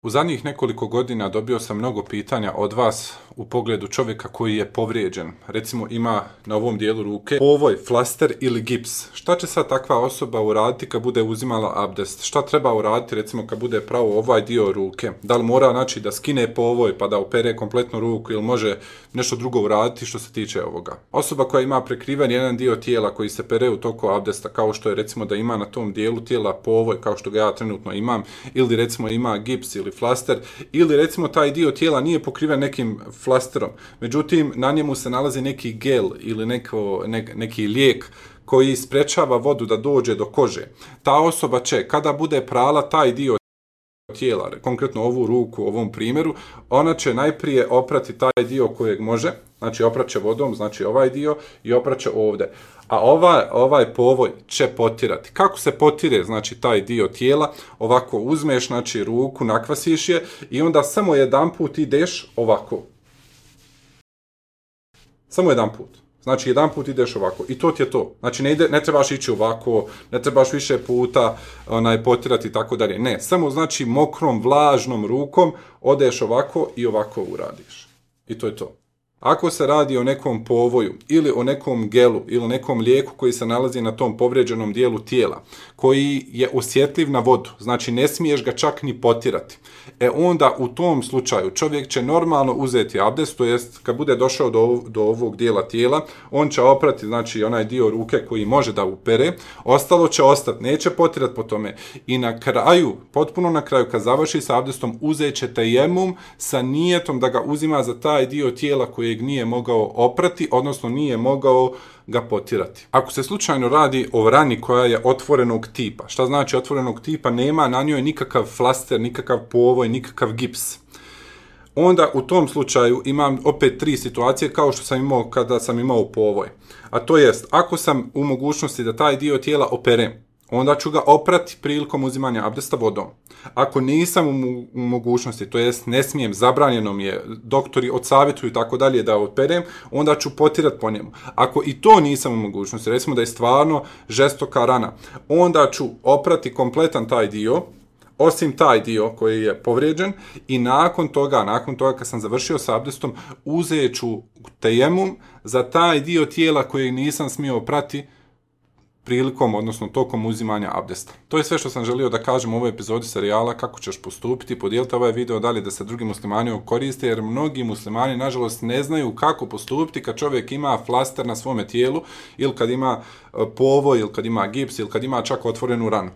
U zadnjih nekoliko godina dobio sam mnogo pitanja od vas u pogledu čovjeka koji je povrijeđen. Recimo ima na ovom dijelu ruke povoj, flaster ili gips. Šta će sad takva osoba uraditi kad bude uzimala abdest? Šta treba uraditi recimo kad bude pravo ovaj dio ruke? Da li mora da skine povoj pa da opere kompletnu ruku ili može nešto drugo uraditi što se tiče ovoga? Osoba koja ima prekriven jedan dio tijela koji se pere u toku abdesta, kao što je recimo da ima na tom dijelu tijela povoj kao što ga ja trenutno imam, ili recimo ima gips ili flaster, ili recimo taj dio tijela nije pokriven nekim flasterom, međutim na njemu se nalazi neki gel ili neki lijek koji sprečava vodu da dođe do kože. Ta osoba će, kada bude prala taj dio tijela, konkretno ovu ruku u ovom primjeru, ona će najprije oprati taj dio kojeg može, znači opraće vodom, znači ovaj dio i opraće ovdje. A ovaj povoj će potirati. Kako se potire, znači taj dio tijela? Ovako uzmeš, znači ruku, nakvasiš je i onda samo jedanput ideš ovako. Samo jedanput. Znači jedanput ideš ovako i to ti je to. Znači ne trebaš ići ovako, ne trebaš više puta potirati i tako dalje. Ne, samo znači mokrom, vlažnom rukom odeš ovako i ovako uradiš. I to je to. Ako se radi o nekom povoju ili o nekom gelu ili nekom lijeku koji se nalazi na tom povrijeđenom dijelu tijela, koji je osjetljiv na vodu, znači ne smiješ ga čak ni potirati, onda u tom slučaju čovjek će normalno uzeti abdest, to jest kad bude došao do ovog dijela tijela, on će oprati znači onaj dio ruke koji može da upere, ostalo će ostati, neće potirati po tome. I na kraju, potpuno na kraju, kad završi sa abdestom, uzet će tejemum sa nijetom da ga uzima za taj dio tijela kojeg nije mogao oprati, odnosno nije mogao ga potirati. Ako se slučajno radi o rani koja je otvorenog tipa, šta znači otvorenog tipa? Nema na njoj nikakav flaster, nikakav povoj, nikakav gips. Onda u tom slučaju imam opet 3 situacije kao što sam imao kada sam imao povoj. A to jest, ako sam u mogućnosti da taj dio tijela operem, onda ću ga oprati prilikom uzimanja abdesta vodom. Ako nisam u mogućnosti, to jest ne smijem, zabranjeno mi je, doktori odsavjetuju tako dalje da operem, onda ću potirati po njemu. Ako i to nisam u mogućnosti, recimo da je stvarno žestoka rana, onda ću oprati kompletan taj dio, osim taj dio koji je povrijeđen, i nakon toga kad sam završio s abdestom, uzet ću tejemum za taj dio tijela koji nisam smio oprati prilikom, odnosno tokom uzimanja abdesta. To je sve što sam želio da kažem u ovoj epizodi serijala Kako ćeš postupiti. Podijelite ovaj video dalje da se drugi muslimani koriste, jer mnogi muslimani nažalost ne znaju kako postupiti kad čovjek ima flaster na svome tijelu, ili kad ima povoj, ili kad ima gips, ili kad ima čak otvorenu ranu.